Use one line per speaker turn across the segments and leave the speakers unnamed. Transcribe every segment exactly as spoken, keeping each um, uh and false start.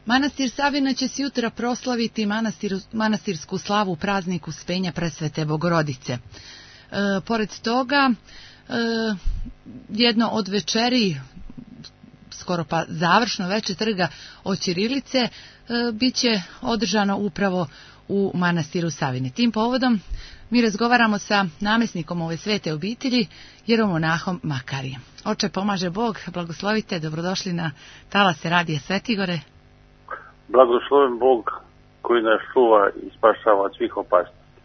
Manastir Savina će se jutra proslaviti manastir, manastirsku slavu u prazniku Uspenja Presvete Bogorodice. E, pored toga, e, jedno od večeri, skoro pa završno veče trga od ćirilice, e, bit će održano upravo u manastiru Savine. Tim povodom mi razgovaramo sa namjesnikom ove svete obitelji, jeromonahom Makarijem. Oče, pomaže Bog, blagoslovite, dobrodošli na talase Radija Svetigore.
Blagosloven Bog koji nas čuva i spašava od svih opasnosti.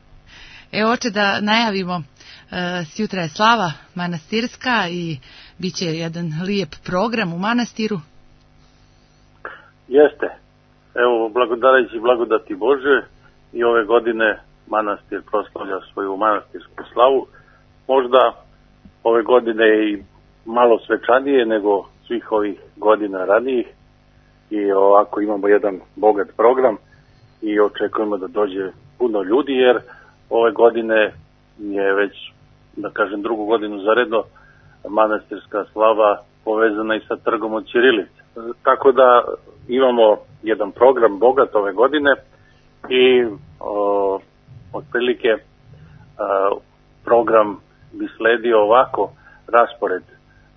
Evo, oče, da najavimo, e, sjutra je slava manastirska i bit će jedan lijep program u manastiru.
Jeste. Evo, blagodarajući blagodati Bože, i ove godine manastir proslavlja svoju manastirsku slavu. Možda ove godine i malo svečanije nego svih ovih godina ranijih. I ovako imamo jedan bogat program i očekujemo da dođe puno ljudi, jer ove godine je već, da kažem, drugu godinu zaredno manastirska slava povezana i sa trgom od ćirilice. Tako da imamo jedan program bogat ove godine i o, otprilike a, program bi sledio ovako, raspored,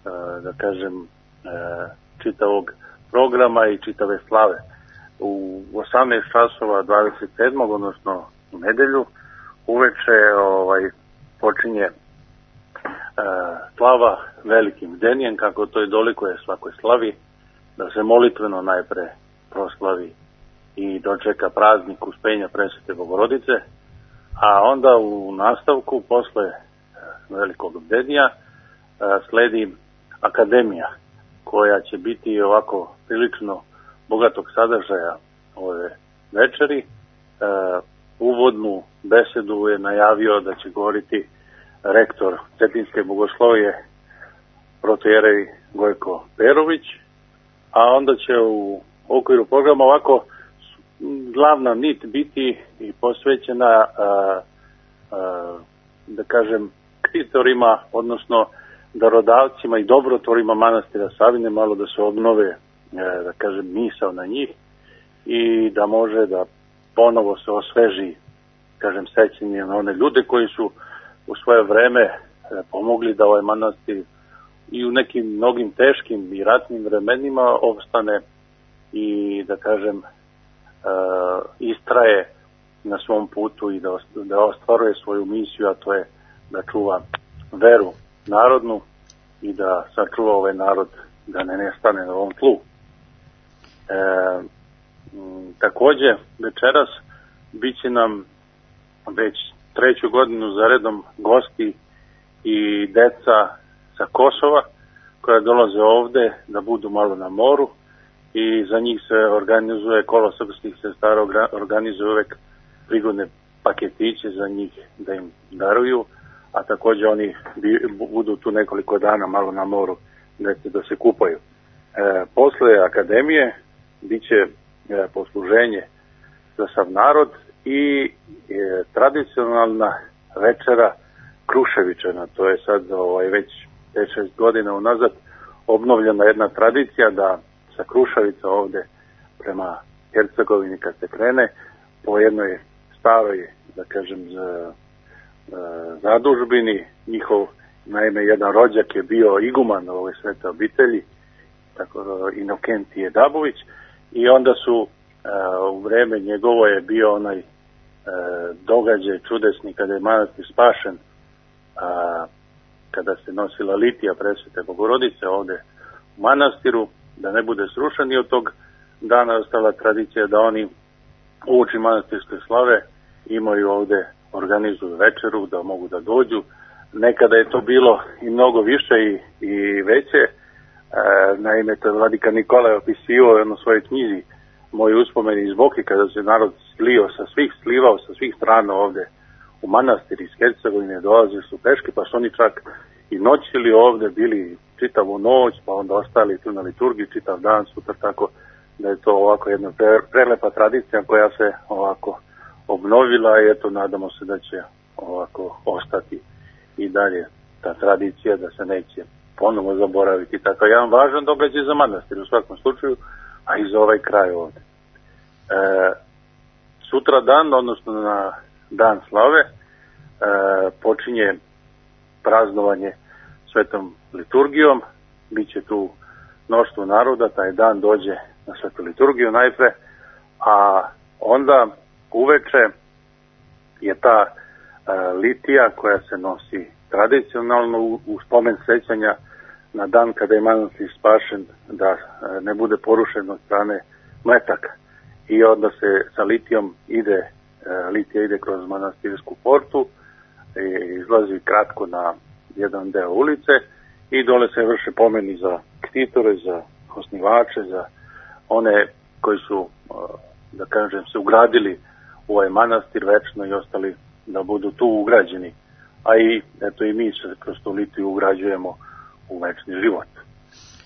a, da kažem, a, čitavog programa i čitave slave. U osamnaest časova dvadeset sedmog odnosno u nedelju uveče ovaj, počinje uh, slava velikim bdenijem, kako to i dolikuje svakoj slavi, da se molitveno najpre proslavi i dočeka praznik Uspenja Presvete Bogorodice, a onda u nastavku posle uh, velikog bdenija uh, sledi akademija, koja će biti ovako prilično bogatog sadržaja ove večeri. E, uvodnu besedu je najavio da će govoriti rektor Cetinske bogoslovije protojerej Gojko Perović, a onda će u okviru programa ovako glavna nit biti i posvećena a, a, da kažem krititorima, odnosno darodavcima i dobrotvorima manastira Savine, malo da se obnove, da kažem, misao na njih i da može da ponovo se osveži, kažem, sećanje na one ljude koji su u svoje vreme pomogli da ovaj manastir i u nekim mnogim teškim i ratnim vremenima opstane i, da kažem, istraje na svom putu i da, da ostvaruje svoju misiju, a to je da čuva veru narodnu i da sačuva ovaj narod da ne nestane na ovom tlu. E, m, takođe, večeras bit će nam već treću godinu za redom gosti i deca sa Kosova koja dolaze ovde da budu malo na moru i za njih se organizuje, Kolo srpskih sestara organizuje uvek prigodne paketiće za njih da im daruju, a takođe oni budu tu nekoliko dana malo na moru da, da se kupaju. E, posle akademije bit će e, posluženje za sav narod i e, tradicionalna večera Kruševičana. To je sad ovaj, već pet šest godina unazad obnovljena jedna tradicija da sa Kruševica ovde prema Hercegovini kad se krene po jednoj staroj, da kažem, za zadužbini, njihov, naime, jedan rođak je bio iguman ove svete obitelji, tako Inokentije Dabović, i onda su a, u vreme njegovo je bio onaj a, događaj čudesni kada je manastir spašen, a, kada se nosila litija Presvete Bogorodice ovde u manastiru, da ne bude srušen, i od tog dana ostala tradicija da oni uoči manastirske slave imaju ovde, organizuju večeru, da mogu da dođu. Nekada je to bilo i mnogo više i, i veće. E, naime, to je vladika Nikola opisivao jedno svojoj knjizi Moji uspomeni iz Boke, kada se narod slio sa svih, slivao sa svih strana ovde u manastir iz Hercegovine, dolazili su peške, pa su oni čak i noćili ovde, bili čitavu noć, pa onda ostali tu na liturgiji čitav dan, sutra, tako da je to ovako jedna pre, prelepa tradicija koja se ovako obnovila i eto, nadamo se da će ovako ostati i dalje ta tradicija, da se neće ponovo zaboraviti. Tako jedan važan događaj za manastir u svakom slučaju, a i za ovaj kraj ovde. sutra dan, odnosno na dan slave, e, počinje praznovanje svetom liturgijom. Biće tu mnoštvo naroda, taj dan dođe na svetu liturgiju najpre, a onda uveče je ta e, litija koja se nosi tradicionalno u, u spomen sećanja na dan kada je manastir spašen, da e, ne bude porušen od strane metaka. I onda se sa litijom ide, e, litija ide kroz manastirsku portu, e, izlazi kratko na jedan deo ulice i dole se vrše pomeni za ktitore, za osnivače, za one koji su, da kažem, se ugradili u ovaj manastir večno i ostali da budu tu ugrađeni. A i, eto, i mi se kroz tu litiju ugrađujemo u večni život.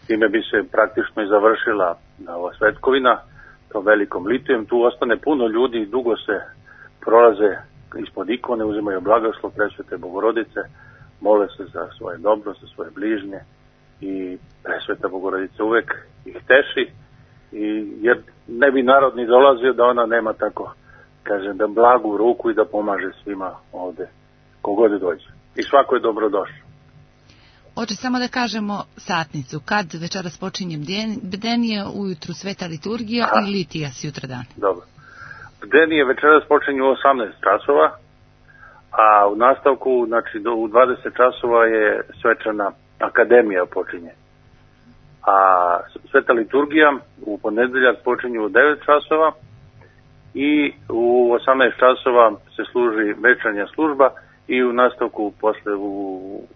Time bi se praktično i završila ova svetkovina tom velikom litijom. Tu ostane puno ljudi, dugo se prolaze ispod ikone, uzimaju blagoslov Presvete Bogorodice, mole se za svoje dobro, za svoje bližnje i Presveta Bogorodica uvek ih teši, i, jer ne bi narod ni dolazio da ona nema tako, kažem, da blagu ruku i da pomaže svima ovde, kogod dođe. I svako je dobrodošao.
Oče, samo da kažemo satnicu, kad večeras počinje bdenije, ujutru sveta liturgija Aha. i litija sutra dan.
Dobro. Bdenije večeras počinje u osamnaest časova, a u nastavku, znači do, u dvadeset časova je svečana akademija počinje. A sveta liturgija u ponedeljak počinje u devet časova i u osamnaest časova se služi večernja služba i u nastavku posle u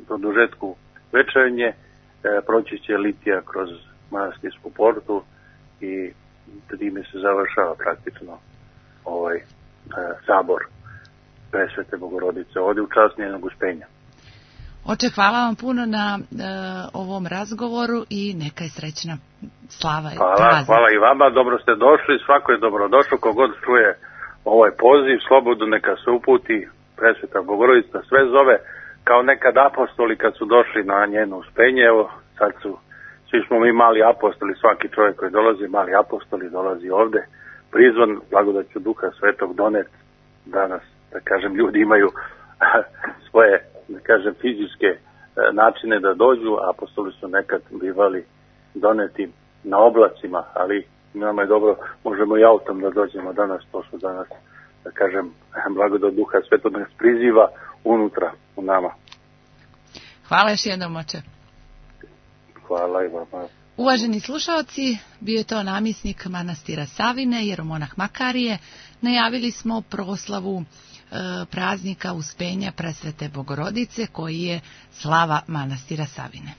produžetku večernje e, proći će litija kroz manastirsku portu i time se završava praktično ovaj e, sabor Presvete Bogorodice ovdje u čast njenog uspenja.
Oče, hvala vam puno na e, ovom razgovoru i neka je srećna slava i
hvala,
praznik.
Hvala i vama, dobro ste došli, svako je dobrodošao, kogod čuje ovaj poziv, slobodno neka se uputi, Presveta Bogorodica sve zove, kao nekad apostoli kad su došli na njeno uspenje, evo sad su, svi smo mi mali apostoli, svaki čovjek koji dolazi, mali apostoli, dolazi ovde, prizvan blagodaću Duha Svetog donet danas, da kažem, ljudi imaju svoje, da kažem, fizičke načine da dođu, apostoli su nekad bivali doneti na oblacima, ali nama je dobro, možemo i autom da dođemo danas, to su danas, da kažem, blagodat Duha Svetog nas priziva unutra u nama.
Hvala još jednom, oče.
Hvala i vama.
Uvaženi slušalci, bio je to namjesnik manastira Savine, jeromonah Makarije. Najavili smo proslavu e, praznika uspenja Presvete Bogorodice, koji je slava manastira Savine.